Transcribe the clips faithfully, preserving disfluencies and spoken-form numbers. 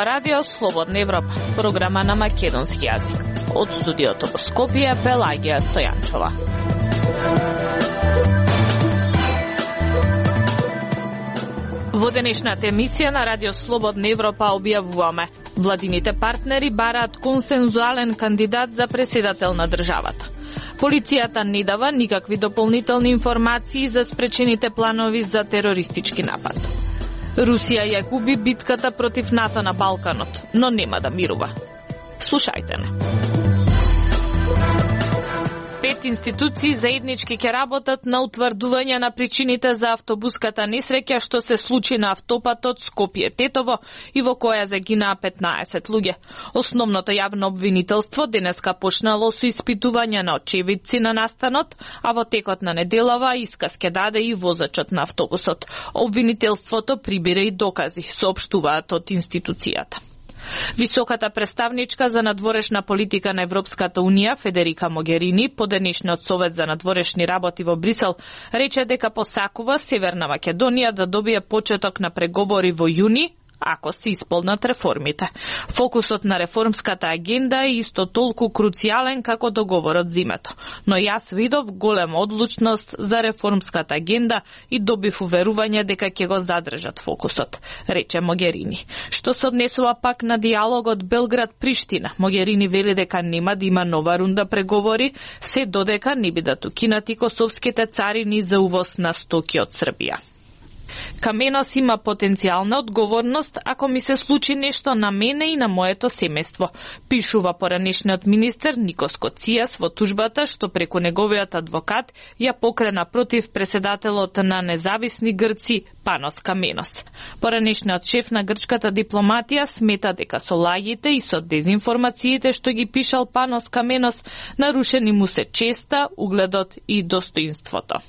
ова радио Слободна Европа, програма на македонски јазик. Од студиото во Скопје, Пелагија Стојанчова. Во денешната емисија на радио Слободна Европа објавуваме: владините партнери бараат консензуален кандидат за преседател на државата. Полицијата не дава никакви дополнителни информации за спречените планови за терористички напад. Русија ја губи битката против НАТО на Балканот, но нема да мирува. Слушајте не. Пет институции заеднички ќе работат на утврдување на причините за автобуската несреќа што се случи на автопатот Скопје-Тетово и во која загинаа петнаесет луѓе. Основното јавно обвинителство денеска почнало со испитување на очевидци на настанот, а во текот на неделава исказ ќе даде и возачот на автобусот. Обвинителството прибира и докази, соопштуваат од институцијата. Високата представничка за надворешна политика на Европската Унија, Федерика Могерини, по денешниот совет за надворешни работи во Брисел, рече дека посакува Северна Македонија да добие почеток на преговори во јуни, ако се исполнат реформите. Фокусот на реформската агенда е исто толку круцијален како договорот зимето, но јас видов голема одлучност за реформската агенда и добив уверување дека ќе го задржат фокусот, рече Могерини. Што се однесува пак на диалогот Белград-Приштина, Могерини вели дека нема да има нова рунда преговори, се додека не бидат укинати косовските царини за увоз на стоки од Србија. Каменос има потенцијална одговорност ако ми се случи нешто на мене и на моето семејство, пишува поранешниот министер Никос Коцијас во тужбата што преку неговиот адвокат ја покрена против преседателот на независни грци Панос Каменос. Поранешниот шеф на грчката дипломатија смета дека со лагите и со дезинформациите што ги пишал Панос Каменос нарушени му се честа, угледот и достоинството.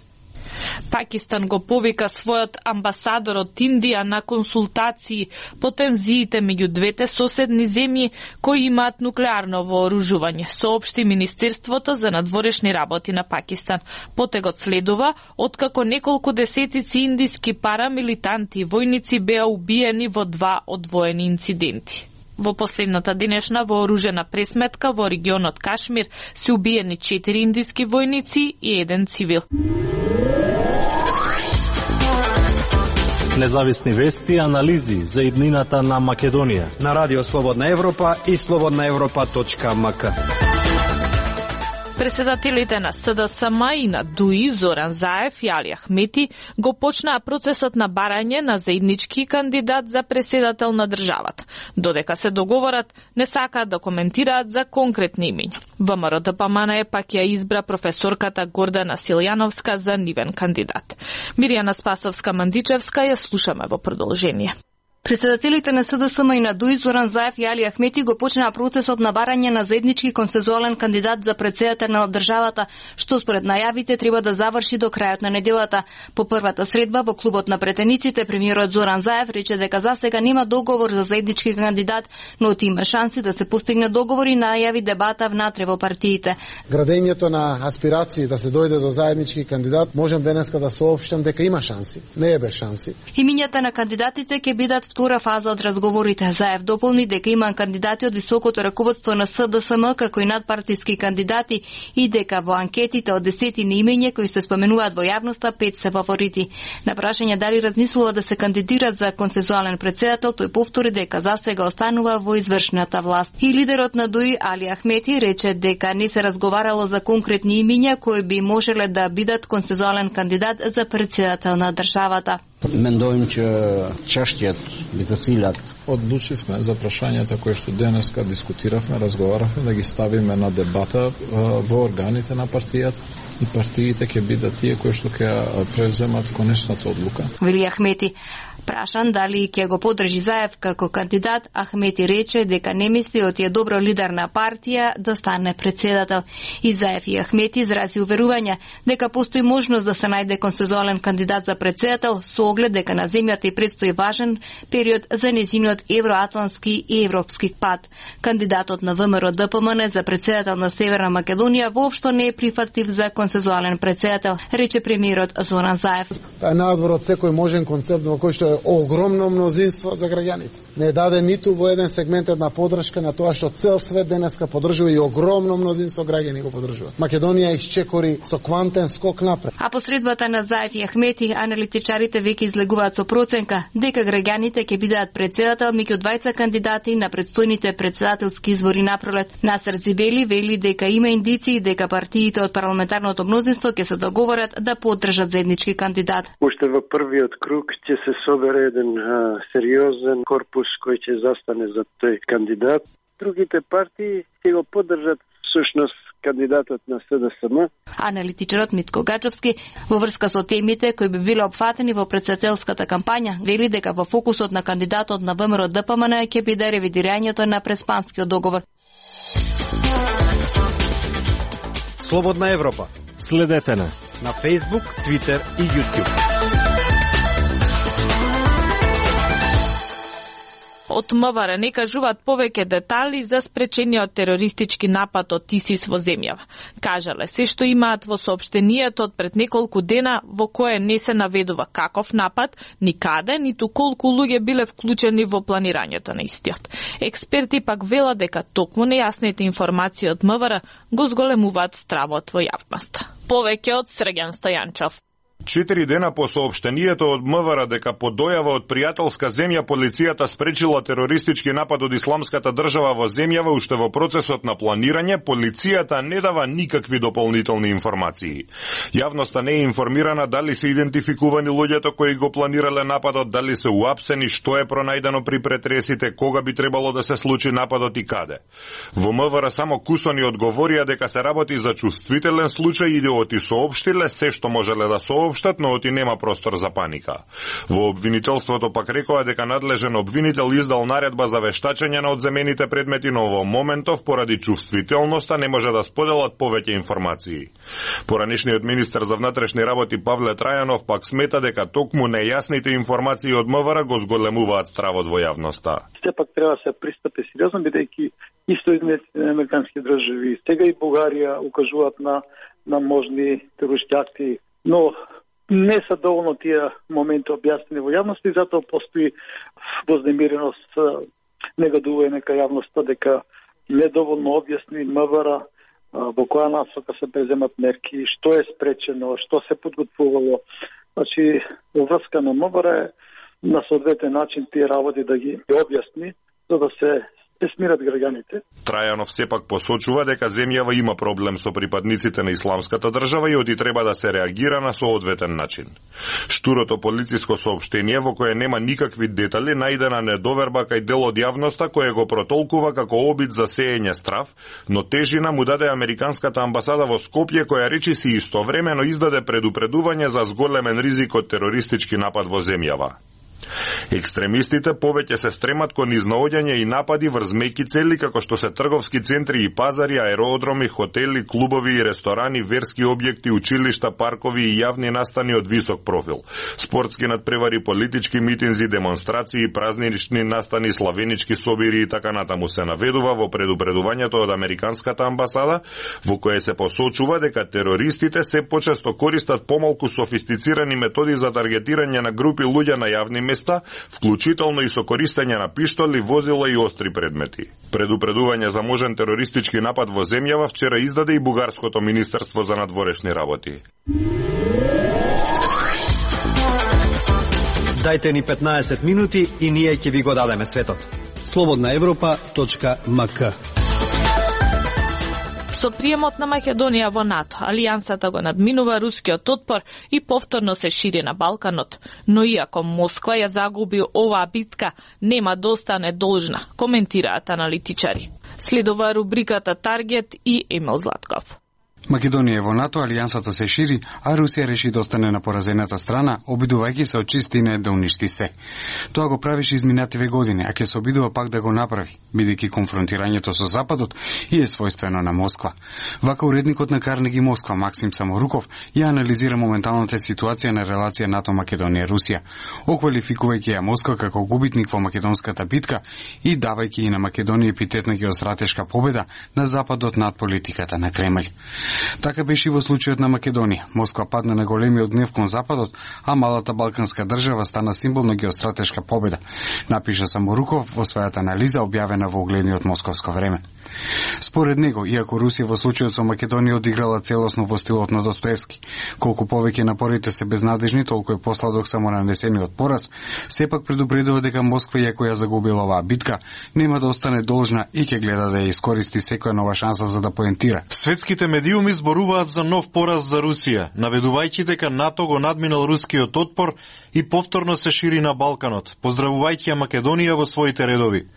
Пакистан го повика својот амбасадор од Индија на консултации по тензиите меѓу двете соседни земји кои имаат нуклеарно вооружување, соопшти Министерството за надворешни работи на Пакистан. Потегот следува откако неколку десетици индиски парамилитанти и војници беа убиени во два одвоени инциденти. Во последната денешна вооружена пресметка во регионот Кашмир се убиени четири индиски војници и еден цивил. Независни вести и анализи за иднината на Македонија на Радио Слободна Европа и слободна европа точка ем ка. Преседателите на С Д С М и на ДУИ Зоран Заев и Али Ахмети го почнаа процесот на барање на заеднички кандидат за преседател на државата. Додека се договорат, не сакаат да коментираат за конкретни имиња. В М Р Д П М Н Е пак ја избра професорката Гордана Силјановска за нивен кандидат. Мирјана Спасовска-Мандичевска ја слушаме во продолжение. Преседателите на С Д С М и на ДУИ Зоран Заев и Али Ахмети го почнаа процесот на барање на заеднички консензуален кандидат за претседател на државата, што според најавите треба да заврши до крајот на неделата. По првата средба во клубот на претениците, премиерот Зоран Заев рече дека за сега нема договор за заеднички кандидат, но има шанси да се постигне договор и најави дебата внатре во партиите. Градењето на аспирации да се дојде до заеднички кандидат, можем денеска да соопштам дека има шанси, не е без шанси. Имињата на кандидатите ќе бидат втора фаза од разговорите. Заев дополни дека има кандидати од високото раководство на С Д С М, како и надпартиски кандидати, и дека во анкетите од десетини имиња кои се споменуваат во јавноста, пет се фаворити. На прашање дали размислува да се кандидира за консензуален претседател, тој повтори дека за сега останува во извршната власт. И лидерот на ДУИ Али Ахмети рече дека не се разговарало за конкретни имиња кои би можеле да бидат консензуален кандидат за претседател на државата. Мендовим че чаштиот биде цилјат. Одлучивме за прашањата кои што денеска дискутиравме, разговаравме да ги ставиме на дебата во органите на партијата и партиите ќе бидат тие кои што ќе превземат конечната одлука. Вели Ахмети. Прашан дали ќе го подржи Заев како кандидат, Ахмети рече дека не мисли од е добро лидер на партија да стане претседател. И Заев и Ахмети изрази уверување дека постои можност да се најде консензуален кандидат за претседател со оглед дека на земјата и предстои важен период за нејзиниот евроатлантски и европски пат. Кандидатот на В М Р Д П М Н за претседател на Северна Македонија воопшто не е прифатлив за консензуален претседател, рече премиерот Зоран Заев. Тај надвор од секој можен концепт во кој што е огромно мнозинство за граѓаните. Не даде ниту во еден сегмент една подршка на тоа што цел свет денеска поддржува и огромно мнозинство граѓани го поддржуваат. Македонија исчекори со квантен скок напред. А посредбата на Заев и Ахмети, аналитичарите веќе излегуваат со проценка дека граѓаните ќе бидат председател меѓу двајца кандидати на предстојните председателски избори напролет. Насер Зибели вели дека има индиции дека партиите од парламентарното мнозинство ќе се договорат да поддржат заеднички кандидат. Уште во првиот круг ќе се собере еден а, сериозен корпус кој ќе застане за тој кандидат. Другите партии ќе го поддржат всушност кандидатот на С Д С М. Аналитичарот Митко Гачовски во врска со темите кои би биле опфатени во претседателската кампања вели дека во фокусот на кандидатот на Вэ М Р Д П М Н ќе биде ревидирањето на Преспанскиот договор. Слободна Европа. Следете на на Facebook, Twitter и YouTube. Од М В Р не кажуваат повеќе детали за спречениот терористички напад од ИСИС во земјава. Кажале се што имаат во соопштението од пред неколку дена во кое не се наведува каков напад, ни каде, ниту колку луѓе биле вклучени во планирањето на истиот. Експерти пак велат дека токму нејасните информации од М В Р го зголемуваат стравот во јавноста. Повеќе од Срѓан Стојанчов. Четири дена по соопштението од М В Р дека по дојава од пријателска земја полицијата спречила терористички напад од исламската држава во земјава, уште во процесот на планирање, полицијата не дава никакви дополнителни информации. Јавноста не е информирана дали се идентификувани луѓето кои го планирале нападот, дали се уапсени, што е пронајдено при претресите, кога би требало да се случи нападот и каде. Во М В Р само кусони одговорија дека се работи за чувствителен случај и да оти соопштиле се што можеле да соопштат, но оти нема простор за паника. Во обвинителството пак рекоа дека надлежен обвинител издал наредба за вештачење на одземените предмети, но во моментов поради чувствителноста не може да споделат повеќе информации. Поранешниот министер за внатрешни работи Павле Трајанов пак смета дека токму нејасните информации од М В Р го зголемуваат стравот во јавноста. Сепак треба да се пристапи сериозно, бидејќи исто Соединетите американски држави, сега и Бугарија укажуваат на на можни терористички акти, но не се доволно тие моменти објаснени во јавноста и затоа постои вознемиреност, негодување нека јавноста дека недоволно објасни М В Р во која насока се преземат мерки, што е спречено, што се подготвувало. Значи, во врска на М В Р на соодветен начин тие работи да ги објасни, за да се смират граѓаните. Трајанов сепак посочува дека земјава има проблем со припадниците на исламската држава и оди треба да се реагира на соодветен начин. Штурото полициско соопштение во кое нема никакви детали најдена недоверба кај дел од јавноста кој го протолкува како обид за сеење страв, но тежина му даде американската амбасада во Скопје која речиси истовремено издаде предупредување за зголемен ризик од терористички напад во земјава. Екстремистите повеќе се стремат кон изнаоѓање и напади врз меки цели како што се трговски центри и пазари, аеродроми, хотели, клубови и ресторани, верски објекти, училишта, паркови и јавни настани од висок профил, спортски надпревари, политички митинзи, демонстрации, празнични настани, славенички собири и така натаму се наведува во предупредувањето од американската амбасада, во кое се посочува дека терористите се почесто користат помалку софистицирани методи за таргетирање на групи луѓе на јавни места, вклучително и со користење на пиштоли, возила и остри предмети. Предупредување за можен терористички напад во земјава вчера издаде и Бугарското министерство за надворешни работи. Дајте ни петнаесет минути и ние ќе ви го дадеме светот. слободна европа точка м к. Со приемот на Македонија во НАТО, алијансата го надминува рускиот отпор и повторно се шири на Балканот. Но иако Москва ја загуби оваа битка, нема да остане должна, коментираат аналитичари. Следува рубриката Таргет и Емил Златков. Македонија во НАТО, алијансата се шири, а Русија реши да остане на поразената страна, обидувајќи се од чистина да уништи се. Тоа го правеше изминативе години, а ќе се обидува пак да го направи, бидејќи конфронтирањето со Западот и е својствено на Москва. Вака уредникот на Карнеги Москва, Максим Саморуков, ја анализира моменталната ситуација на релација НАТО-Македонија-Русија, оквалификувајќи ја Москва како губитник во македонската битка и давајќи и на Македонија епитетна геостратешка победа на Западот над политиката на Кремљ. Така беше и во случајот на Македонија. Москва падна на големиот гнев кон Западот, а малата балканска држава стана символ на геостратешка победа, напиша Саморуков во својата анализа објавена во угледниот Московско време. Според него, иако Русија во случајот со Македонија одиграла целосно во стилот на Достоевски, колку повеќе напорите се безнадежни, толку е посладок само нанесениот пораз, сепак предупредува дека Москва, иако ја загубила оваа битка, нема да остане должна и ќе гледа да ја искористи секоја нова шанса за да поентира. Светските медиуми зборуваат за нов пораз за Русија, наведувајќи дека НАТО го надминал рускиот отпор и повторно се шири на Балканот, поздравувајќи ја Македонија во своите редови.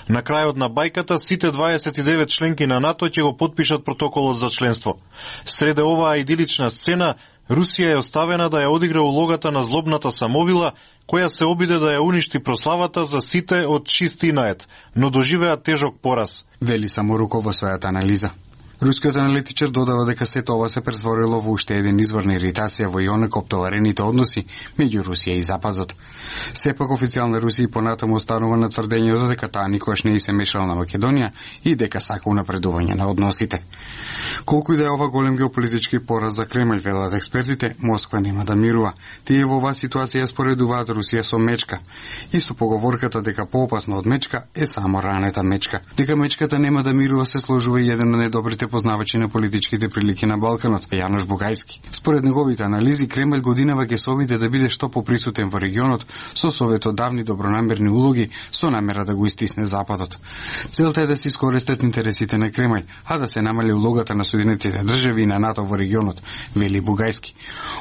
На крајот на бајката сите дваесет и девет членки на НАТО ќе го потпишат протоколот за членство. Среде оваа идилична сцена, Русија е оставена да ја одигра улогата на злобната самовила, која се обиде да ја уништи прославата за сите од чистинает, но доживеа тежок пораз. Вели Саморуков во својата анализа. Рускиот аналитичар додава дека сето ова се претворило во уште еден извор на иритација во ионак оптоварените односи меѓу Русија и Западот. Сепак официјална Русија понатаму останува на тврдењето дека таа никогаш не и се мешала на Македонија и дека сака унапредување на односите. Колку и да е ова голем геополитички пораз за Кремљ, велат експертите, Москва нема да мирува. Тие во оваа ситуација споредуваат Русија со мечка и со поговорката дека поопасна од мечка е само ранета мечка. Дека мечката нема да мирува се сложува и еден од најдобрите познавачи на политичките прилики на Балканот, Јанош Бугајски. Според неговите анализи, Кремљ годинава ќе се обиде да биде што поприсутен во регионот со советот давни добронамерни улоги со намера да го истисне Западот. Целта е да се искористат интересите на Кремљ, а да се намали улогата на Соединетите држави и на НАТО во регионот, вели Бугајски.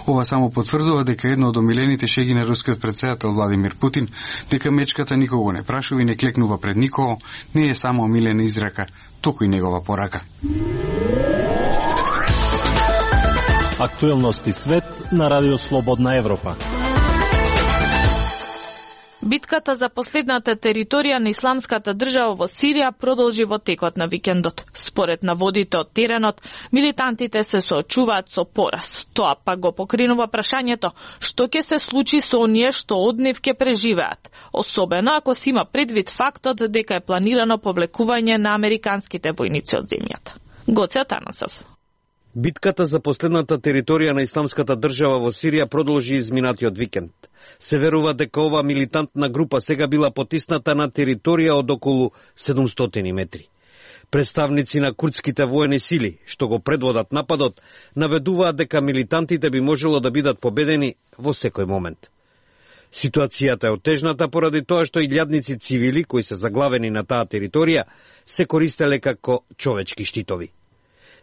Ова само потврдува дека едно од омилените шеги на рускиот претседател Владимир Путин, дека мечката никого не прашува и не клекнува пред никого, не е само омилена израка, туку и негова порака. Актуелности свет на Радио Слободна Европа. Битката за последната територија на исламската држава во Сирија продолжи во текот на викендот. Според наводите од теренот, милитантите се соочуваат со пораз. Тоа пак го покринува прашањето што ќе се случи со оние што од нив ќе преживеат, особено ако се има предвид фактот дека е планирано повлекување на американските војници од земјата. Гоце Атанасов. Битката за последната територија на исламската држава во Сирија продолжи изминатиот викенд. Се верува дека ова милитантна група сега била потисната на територија од околу седумстотини метри. Представници на курдските воени сили, што го предводат нападот, наведуваат дека милитантите би можело да бидат победени во секој момент. Ситуацијата е отежната поради тоа што илјадници цивили кои се заглавени на таа територија се користеле како човечки штитови.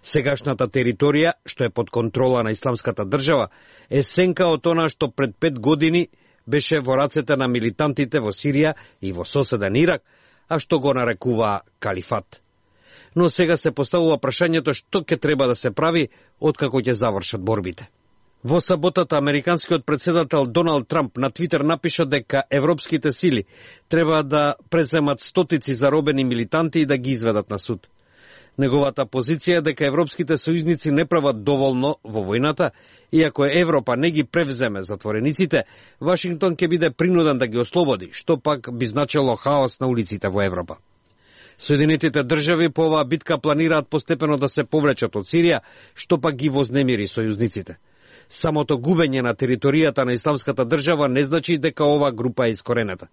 Сегашната територија, што е под контрола на исламската држава, е сенка од она што пред пет години беше во рацете на милитантите во Сирија и во соседен Ирак, а што го нарекуваа калифат. Но сега се поставува прашањето што ќе треба да се прави откако ќе завршат борбите. Во саботата американскиот претседател Доналд Трамп на Твитер напиша дека европските сили треба да преземат стотици заробени милитанти и да ги изведат на суд. Неговата позиција е дека европските сојузници не прават доволно во војната, и ако Европа не ги превземе затворениците, Вашингтон ќе биде принуден да ги ослободи, што пак би значило хаос на улиците во Европа. Соединетите држави по оваа битка планираат постепено да се повлечат од Сирија, што пак ги вознемири сојузниците. Самото губење на територијата на исламската држава не значи дека оваа група е искоренета.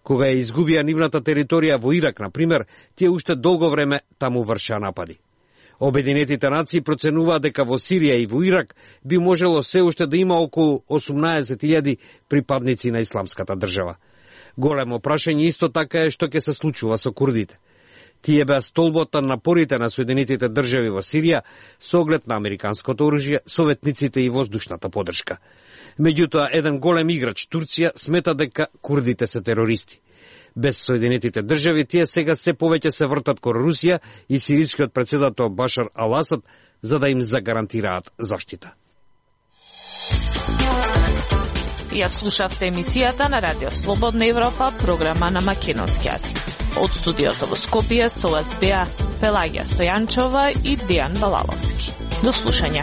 Кога ја изгубија нивната територија во Ирак, например, тие уште долго време таму вршеа напади. Обединетите нации проценуваат дека во Сирија и во Ирак би можело се уште да има околу осумнаесет илјади припадници на исламската држава. Големо прашање исто така е што ќе се случува со курдите. Тие беа столбот на напорите на Соединетите држави во Сирија со оглед на американското оружје, советниците и воздушната поддршка. Меѓутоа, еден голем играч, Турција, смета дека курдите се терористи. Без Соединетите држави, тие сега се повеќе се вртат кон Русија и сирискиот претседател Башар ал-Асад за да им загарантираат заштита. Ја слушавте емисијата на Радио Слободна Европа, програма на македонски јазик. Од студиото во Скопје со вас беа Пелагија Стојанчова и Дејан Балаловски. До слушање.